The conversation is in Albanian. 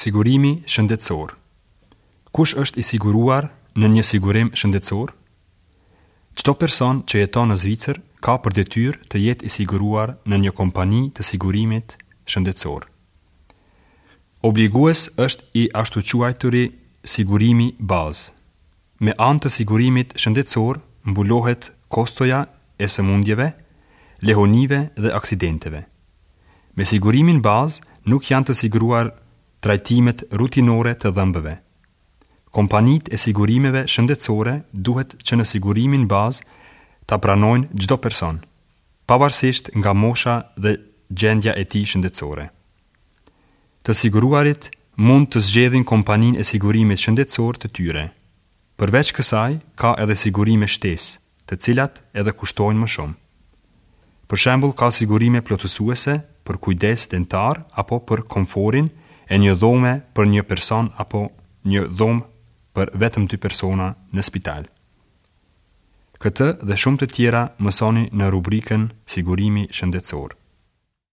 Sigurimi shëndetësor. Kush është i siguruar në një sigurim shëndetësor? Çdo person që jeton në Zvicër ka për detyrë të jetë i siguruar në një kompani të sigurimit shëndetësor. Obligues është i ashtuquajturi sigurimi bazë. Me anë të sigurimit shëndetësor mbulohet kostoja e sëmundjeve, lehonive dhe aksidenteve. Me sigurimin bazë nuk janë të siguruar trajtimet rutinore të dhëmbëve. Kompanitë e sigurimeve shëndetësore duhet që në sigurimin bazë ta pranojnë çdo person, pavarësisht nga mosha dhe gjendja e tij shëndetësore. Të siguruarit mund të zgjedhin kompaninë e sigurimit shëndetësor të tyre. Përveç kësaj, ka edhe sigurime shtesë, të cilat edhe kushtojnë më shumë. Për shembull, ka sigurime plotësuese për kujdes dentar apo për komforin e një dhome për një person apo një dhomë për vetëm dy persona në spital. Këtë dhe shumë të tjera mësoni në rubrikën Sigurimi shëndetësor.